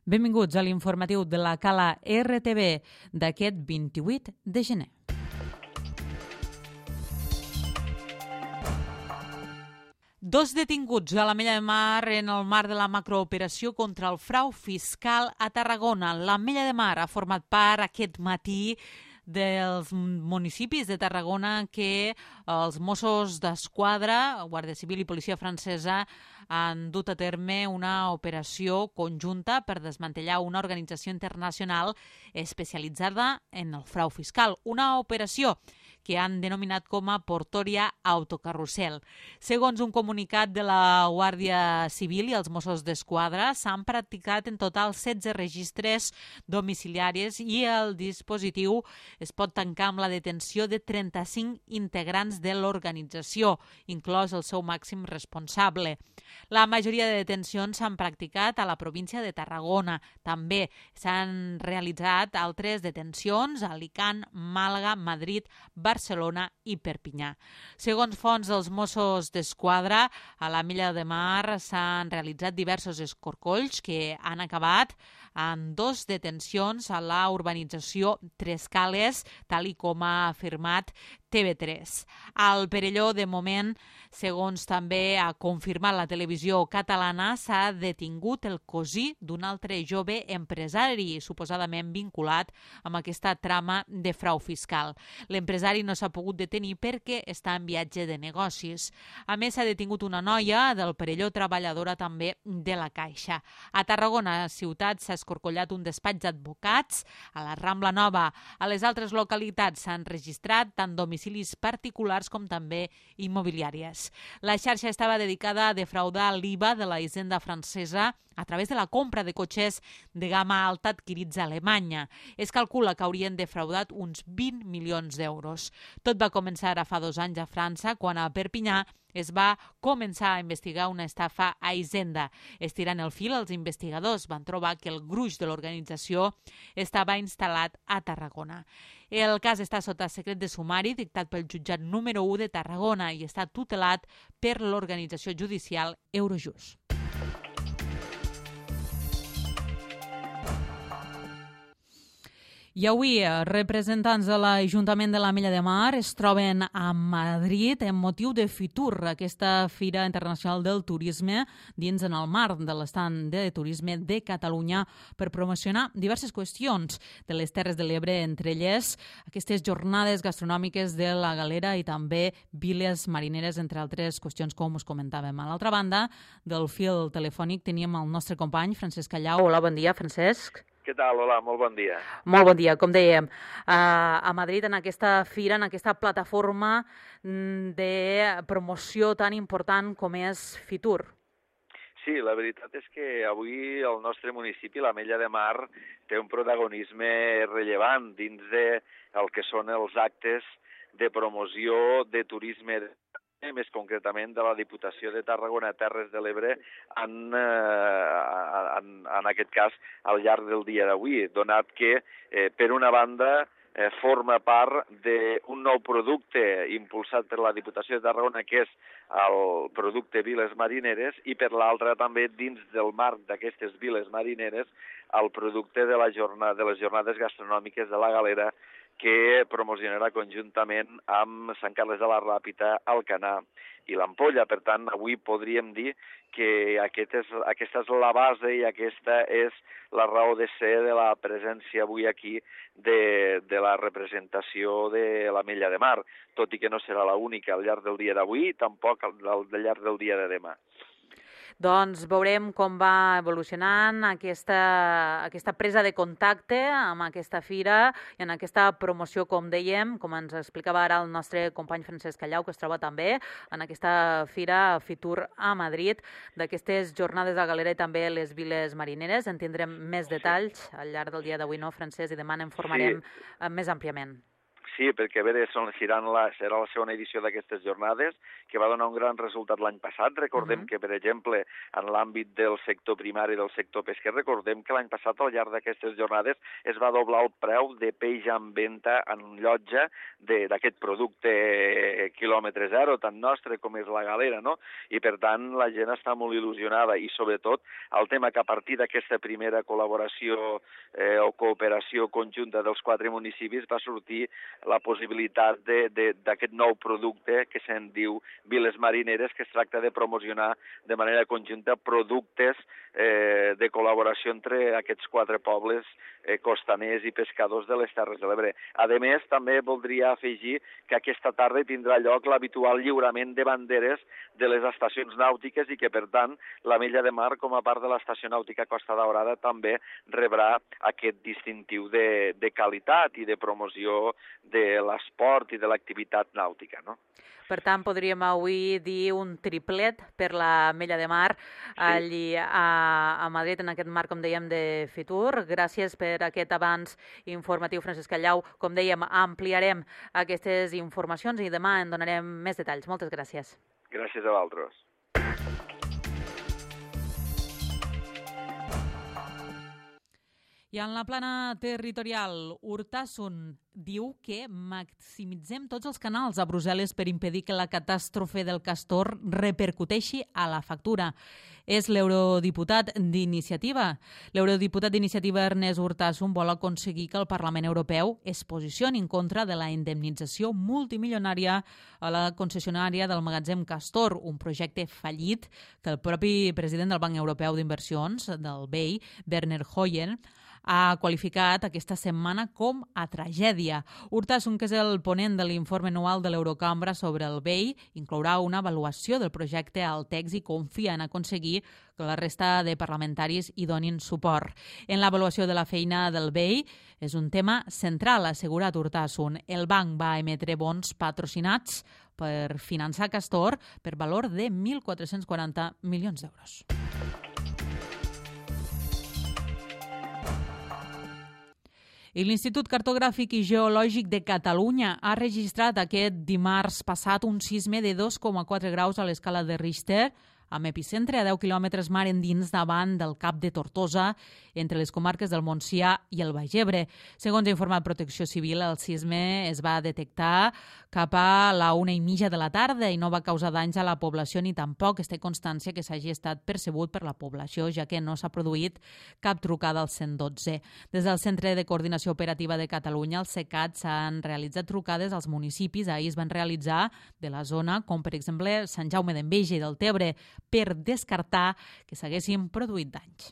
Benvinguts a l'informatiu de la Cala RTV d'aquest 28 de gener. Dos detinguts a l'Ametlla de Mar en el marc de la macrooperació contra el frau fiscal a Tarragona. L'Ametlla de Mar ha format part aquest matí dels municipis de Tarragona que els Mossos d'Esquadra, Guàrdia Civil i Policia Francesa han dut a terme una operació conjunta per desmantellar una organització internacional especialitzada en el frau fiscal. Una operació que han denominat com a Portoria Autocarrusel. Segons un comunicat de la Guàrdia Civil i els Mossos d'Esquadra, s'han practicat en total 16 registres domiciliaris i el dispositiu es pot tancar amb la detenció de 35 integrants de l'organització, inclòs el seu màxim responsable. La majoria de detencions s'han practicat a la província de Tarragona. També s'han realitzat altres detencions a Alicant, Màlaga, Madrid, Barcelona i Perpinyà. Segons fonts dels Mossos d'Esquadra, a l'Ametlla de Mar s'han realitzat diversos escorcolls que han acabat en 2 detencions a la urbanització Tres Cales, tal i com ha afirmat TV3. Al Perelló, de moment, segons també ha confirmat la televisió catalana, s'ha detingut el cosí d'un altre jove empresari, suposadament vinculat amb aquesta trama de frau fiscal. L'empresari no s'ha pogut detenir perquè està en viatge de negocis. A més, s'ha detingut una noia del Perelló, treballadora també de la Caixa. A Tarragona, ciutat, s'ha escorcollat un despatx d'advocats. A la Rambla Nova, a les altres localitats s'han registrat tant domicilis particulars com també immobiliàries. La xarxa estava dedicada a defraudar l'IVA de la hisenda francesa a través de la compra de cotxes de gamma alta adquirits a Alemanya. Es calcula que haurien defraudat uns 20 milions d'euros. Tot va començar ara fa 2 anys a França, quan a Perpinyà es va començar a investigar una estafa a Hisenda. Estirant el fil, els investigadors van trobar que el gruix de l'organització estava instal·lat a Tarragona. El cas està sota secret de sumari dictat pel jutjat número 1 de Tarragona i està tutelat per l'organització judicial Eurojust. I avui, representants de l'Ajuntament de l'Ametlla de Mar es troben a Madrid en motiu de Fitur, aquesta Fira Internacional del Turisme, dins en el marc de l'estand de turisme de Catalunya per promocionar diverses qüestions de les Terres de l'Ebre, entre elles aquestes jornades gastronòmiques de la Galera i també viles marineres, entre altres qüestions com us comentàvem. A l'altra banda del fil telefònic teníem el nostre company Francesc Callau. Hola, bon dia, Francesc. Què tal? Hola, molt bon dia. Molt bon dia. Com dèiem, a Madrid, en aquesta fira, en aquesta plataforma de promoció tan important com és Fitur. Sí, la veritat és que avui el nostre municipi, l'Ametlla de Mar, té un protagonisme rellevant dins del que són els actes de promoció de turisme, més concretament de la Diputació de Tarragona Terres de l'Ebre en aquest cas al llarg del dia d'avui, donat que per una banda forma part d'un nou producte impulsat per la Diputació de Tarragona, que és el producte Viles Marineres, i per l'altra també dins del marc d'aquestes Viles Marineres el producte de les jornades gastronòmiques de la Galera, que promocionarà conjuntament amb Sant Carles de la Ràpita, Alcanar i l'Ampolla. Per tant, avui podríem dir que aquesta és la base i aquesta és la raó de ser de la presència avui aquí de la representació de l'Ametlla de Mar, tot i que no serà l'única al llarg del dia d'avui, tampoc al llarg del dia de demà. Doncs veurem com va evolucionant aquesta presa de contacte amb aquesta fira i en aquesta promoció, com dèiem, com ens explicava ara el nostre company Francesc Callau, que es troba també en aquesta fira Fitur a Madrid, d'aquestes jornades de Galera i també les viles marineres. En tindrem més detalls al llarg del dia d'avui, no, Francesc? I demà n'informarem més àmpliament. Sí, perquè a veure, serà la segona edició d'aquestes jornades, que va donar un gran resultat l'any passat. Recordem que, per exemple, en l'àmbit del sector primari, del sector pesquer, recordem que l'any passat, al llarg d'aquestes jornades, es va doblar el preu de peix en venda en llotja d'aquest producte quilòmetre zero, tant nostre com és la galera, no? I, per tant, la gent està molt il·lusionada i, sobretot, el tema que a partir d'aquesta primera col·laboració o cooperació conjunta dels 4 municipis va sortir la possibilitat d'aquest nou producte que se'n diu Viles Marineres, que es tracta de promocionar de manera conjunta productes de col·laboració entre aquests 4 pobles costaners i pescadors de les Terres de l'Ebre. A més, també voldria afegir que aquesta tarda tindrà lloc l'habitual lliurament de banderes de les estacions nàutiques i que, per tant, l'Ametlla de Mar, com a part de l'Estació Nàutica Costa Daurada, també rebrà aquest distintiu de qualitat i de promoció de l'esport i de l'activitat nàutica, no? Per tant, podríem avui dir un triplet per l'Ametlla de Mar allí a Madrid, en aquest marc, com dèiem, de Fitur. Gràcies per aquest avanç informatiu, Francesc Callau. Com dèiem, ampliarem aquestes informacions i demà en donarem més detalls. Moltes gràcies. Gràcies a vosaltres. I en la plana territorial, Urtasun diu que maximitzem tots els canals a Brussel·les per impedir que la catàstrofe del castor repercuteixi a la factura. És l'eurodiputat d'Iniciativa. L'eurodiputat d'Iniciativa Ernest Urtasun vol aconseguir que el Parlament Europeu es posicioni en contra de la indemnització multimilionària a la concessionària del magatzem Castor, un projecte fallit que el propi president del Banc Europeu d'Inversions, del BEI, Werner Hoyer, ha qualificat aquesta setmana com a tragèdia. Urtasun, que és el ponent de l'informe anual de l'Eurocambra sobre el BEI, inclourà una avaluació del projecte al text i confia en aconseguir que la resta de parlamentaris hi donin suport. En l'avaluació de la feina del BEI és un tema central, ha assegurat Urtasun. El banc va emetre bons patrocinats per finançar Castor per valor de 1.440 milions d'euros. I l'Institut Cartogràfic i Geològic de Catalunya ha registrat aquest dimarts passat un sisme de 2,4 graus a l'escala de Richter, amb epicentre a 10 quilòmetres mar endins davant del Cap de Tortosa, entre les comarques del Montsià i el Baix Ebre. Segons ha informat Protecció Civil, el sisme es va detectar cap a la 1:30 de la tarda i no va causar danys a la població ni tampoc es té constància que s'hagi estat percebut per la població, ja que no s'ha produït cap trucada al 112. Des del Centre de Coordinació Operativa de Catalunya, el CECAT, s'han realitzat trucades als municipis. Ahir es van realitzar de la zona, com per exemple Sant Jaume d'Enveja i del Tebre, per descartar que s'haguessin produït danys.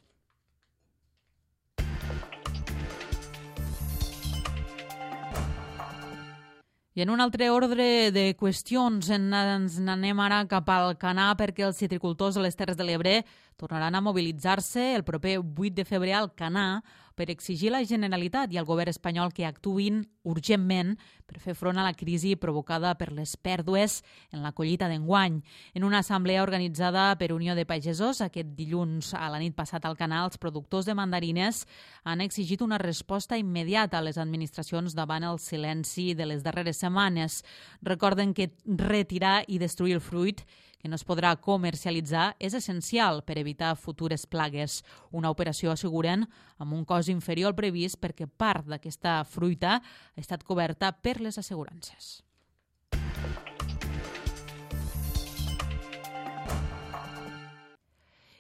I en un altre ordre de qüestions ens n'anem ara cap al Canà perquè els citricultors de les Terres de l'Ebre tornaran a mobilitzar-se el proper 8 de febrer al Canà per exigir a la Generalitat i al govern espanyol que actuïn urgentment per fer front a la crisi provocada per les pèrdues en la collita d'enguany. En una assemblea organitzada per Unió de Pagesos aquest dilluns a la nit passat al Canà, els productors de mandarines han exigit una resposta immediata a les administracions davant el silenci de les darreres setmanes. Recorden que retirar i destruir el fruit que no es podrà comercialitzar és essencial per evitar futures plagues. Una operació, asseguren, amb un cost inferior al previst perquè part d'aquesta fruita ha estat coberta per les assegurances.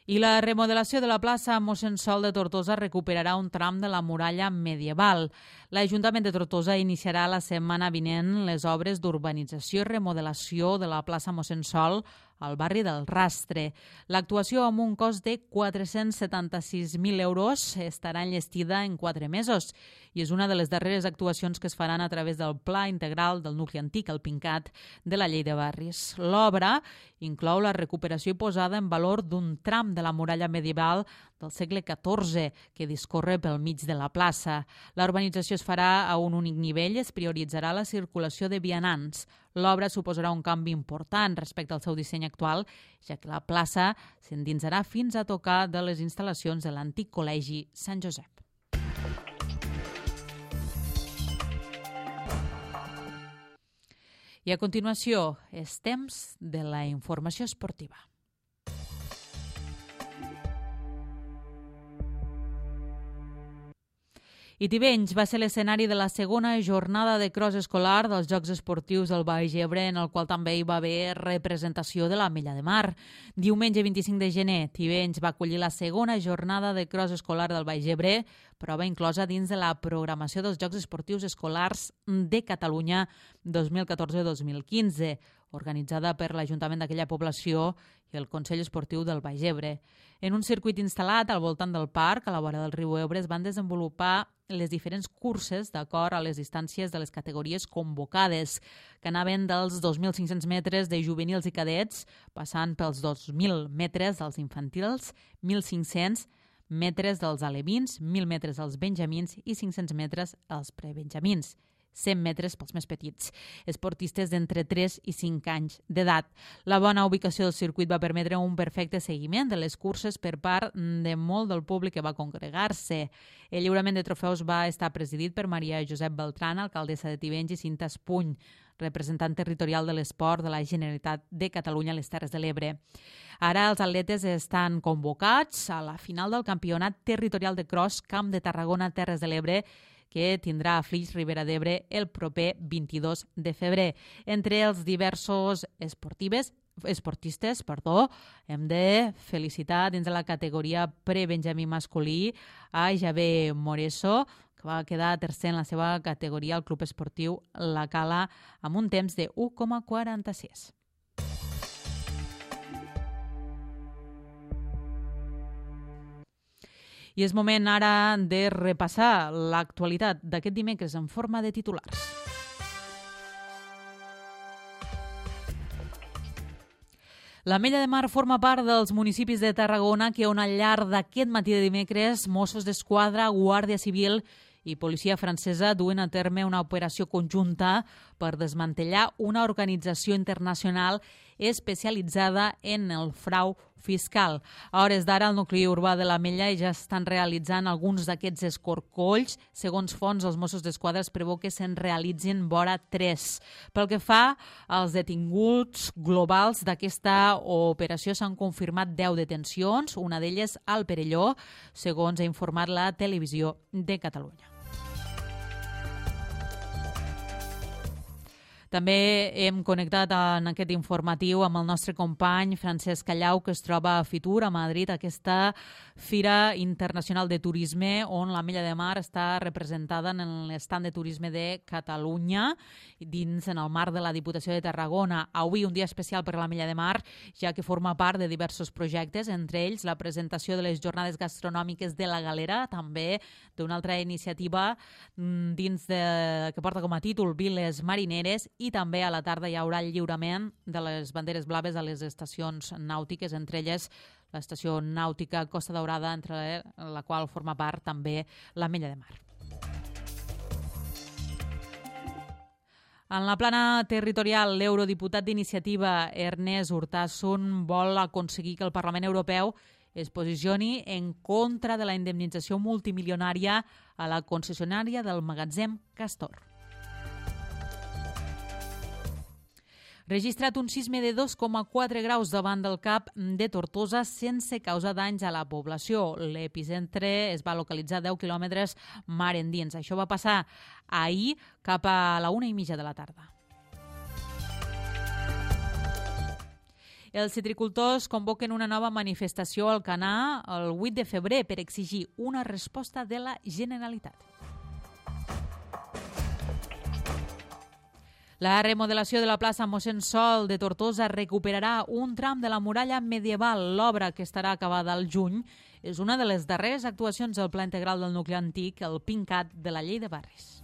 I la remodelació de la plaça Mossèn Sol de Tortosa recuperarà un tram de la muralla medieval. L'Ajuntament de Tortosa iniciarà la setmana vinent les obres d'urbanització i remodelació de la plaça Mossèn Sol al barri del Rastre. L'actuació, amb un cost de 476.000 euros, estarà enllestida en 4 mesos i és una de les darreres actuacions que es faran a través del Pla Integral del Nucli Antic, el PINCAT, de la Llei de Barris. L'obra inclou la recuperació i posada en valor d'un tram de la muralla medieval del segle XIV que discorre pel mig de la plaça. La urbanització es farà a un únic nivell i es prioritzarà la circulació de vianants. L'obra suposarà un canvi important respecte al seu disseny actual, ja que la plaça s'endinsarà fins a tocar de les instal·lacions de l'antic col·legi Sant Josep. I a continuació és temps de la informació esportiva. I Tivenys va ser l'escenari de la segona jornada de cross escolar dels Jocs Esportius del Baix Ebre, en el qual també hi va haver representació de l'Ametlla de Mar. Diumenge 25 de gener, Tivenys va acollir la segona jornada de cross escolar del Baix Ebre, prova inclosa dins de la programació dels Jocs Esportius Escolars de Catalunya 2014-2015, organitzada per l'Ajuntament d'aquella població i el Consell Esportiu del Baix Ebre. En un circuit instal·lat al voltant del parc, a la vora del riu Ebre, es van desenvolupar les diferents curses d'acord a les distàncies de les categories convocades, que anaven dels 2.500 metres de juvenils i cadets, passant pels 2.000 metres dels infantils, 1.500 metres dels alevins, 1.000 metres dels benjamins i 500 metres als prebenjamins. 100 metres pels més petits, esportistes d'entre 3 i 5 anys d'edat. La bona ubicació del circuit va permetre un perfecte seguiment de les curses per part de molt del públic que va congregar-se. El lliurament de trofeus va estar presidit per Maria Josep Beltrán, alcaldessa de Tivenys, i Cinta Espuny, representant territorial de l'esport de la Generalitat de Catalunya a les Terres de l'Ebre. Ara els atletes estan convocats a la final del Campionat Territorial de Cross Camp de Tarragona Terres de l'Ebre, que tindrà a Flix, Ribera d'Ebre, el proper 22 de febrer. Entre els diversos esportistes, hem de felicitar dins de la categoria prebenjamí masculí a Javé Moreso, que va quedar tercer en la seva categoria al Club Esportiu La Cala amb un temps de 1,46. I és moment ara de repassar l'actualitat d'aquest dimecres en forma de titulars. L'Ametlla de Mar forma part dels municipis de Tarragona que on al llarg d'aquest matí de dimecres Mossos d'Esquadra, Guàrdia Civil i policia francesa duen a terme una operació conjunta per desmantellar una organització internacional especialitzada en el frau fiscal. A hores d'ara, al nucli urbà de l'Ametlla ja estan realitzant alguns d'aquests escorcolls. Segons fonts, els Mossos d'Esquadra es preveu que se'n realitzin vora 3. Pel que fa als detinguts globals d'aquesta operació, s'han confirmat 10 detencions, una d'elles al Perelló, segons ha informat la Televisió de Catalunya. També hem connectat en aquest informatiu amb el nostre company Francesc Callau, que es troba a Fitur, a Madrid, aquesta Fira Internacional de Turisme, on l'Ametlla de Mar està representada en l'estand de turisme de Catalunya, dins en el marc de la Diputació de Tarragona. Avui un dia especial per l'Ametlla de Mar, ja que forma part de diversos projectes, entre ells la presentació de les jornades gastronòmiques de la Galera, també d'una altra iniciativa dins que porta com a títol Viles Marineres, i també a la tarda hi haurà el lliurament de les banderes blaves a les estacions nàutiques, entre elles l'estació nàutica Costa Daurada, entre la qual forma part també l'Ametlla de Mar. En la plana territorial, l'eurodiputat d'Iniciativa Ernest Urtasun vol aconseguir que el Parlament Europeu es posicioni en contra de la indemnització multimilionària a la concessionària del magatzem Castor. Registrat un sisme de 2,4 graus davant del cap de Tortosa sense causar danys a la població. L'epicentre es va localitzar a 10 quilòmetres mar endins. Això va passar ahir cap a la 1:30 de la tarda. Els citricultors convoquen una nova manifestació al Canà el 8 de febrer per exigir una resposta de la Generalitat. La remodelació de la plaça Mossèn Sol de Tortosa recuperarà un tram de la muralla medieval. L'obra, que estarà acabada al juny, és una de les darreres actuacions del Pla Integral del Nucli Antic, el PINCAT de la Llei de Barris.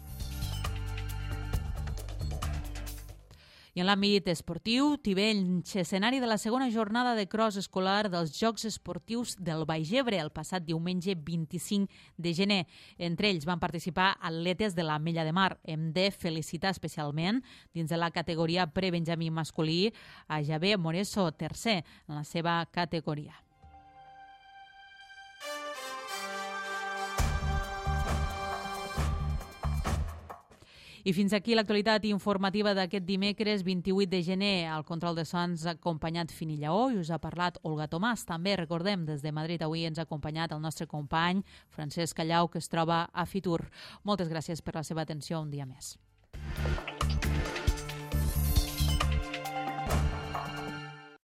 I en l'àmbit esportiu, Tivenys, escenari de la segona jornada de cross escolar dels Jocs Esportius del Baix Ebre el passat diumenge 25 de gener. Entre ells van participar atletes de l'Ametlla de Mar. Hem de felicitar especialment, dins de la categoria prebenjamí masculí, a Javé Moreso, tercer en la seva categoria. I fins aquí l'actualitat informativa d'aquest dimecres 28 de gener. Al control de sons ha acompanyat Fini Lleó i us ha parlat Olga Tomàs. També recordem, des de Madrid avui ens ha acompanyat el nostre company Francesc Callau, que es troba a Fitur. Moltes gràcies per la seva atenció un dia més.